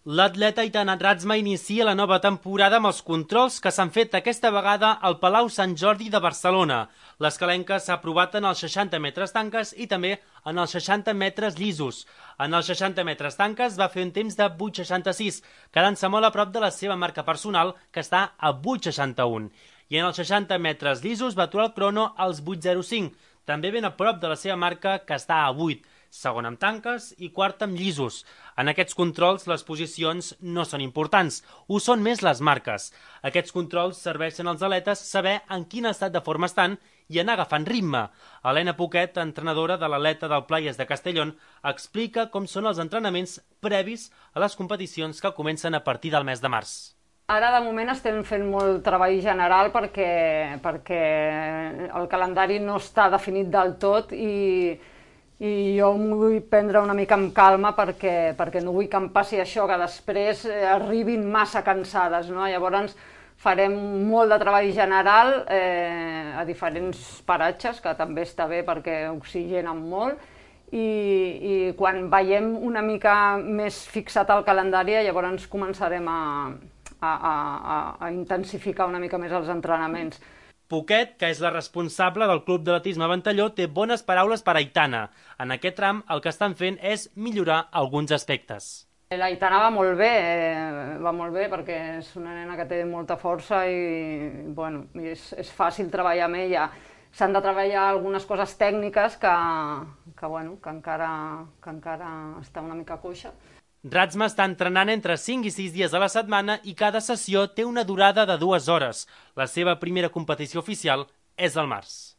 L'atleta Aitana Ratzma inicia la nova temporada amb els controls que s'han fet aquesta vegada al Palau Sant Jordi de Barcelona. L'escalenca s'ha provat en els 60 metres tanques i també en els 60 metres llisos. En els 60 metres tanques va fer un temps de 8,66, quedant-se molt a prop de la seva marca personal, que està a 8,61. I en els 60 metres llisos va aturar el crono als 8,05, també ben a prop de la seva marca, que està a 8. Segon amb tanques i quart amb llisos. En aquests controls les posicions no són importants, ho són més les marques. Aquests controls serveixen als atletes saber en quin estat de forma estan i anar agafant ritme. Helena Poquet, entrenadora de l'atleta del Playas de Castellón, explica com són els entrenaments previs a les competicions que comencen a partir del mes de març. Ara, de moment, estem fent molt treball general perquè el calendari no està definit del tot i jo m'ho vull prendre una mica amb calma perquè no vull que em passi això, que després arribin massa cansades, no? Llavors farem molt de treball general a diferents paratges, que també està bé perquè oxigenen molt, i quan veiem una mica més fixat el calendari, llavors començarem a intensificar una mica més els entrenaments. Poquet, que és la responsable del Club d'Atletisme Ventalló, té bones paraules per Aitana. En aquest tram el que estan fent és millorar alguns aspectes. L'Aitana va molt bé perquè és una nena que té molta força i bueno, és fàcil treballar amb ella. S'han de treballar algunes coses tècniques que encara està una mica coixa. Ratzma està entrenant entre 5 i 6 dies a la setmana i cada sessió té una durada de 2 hores. La seva primera competició oficial és al març.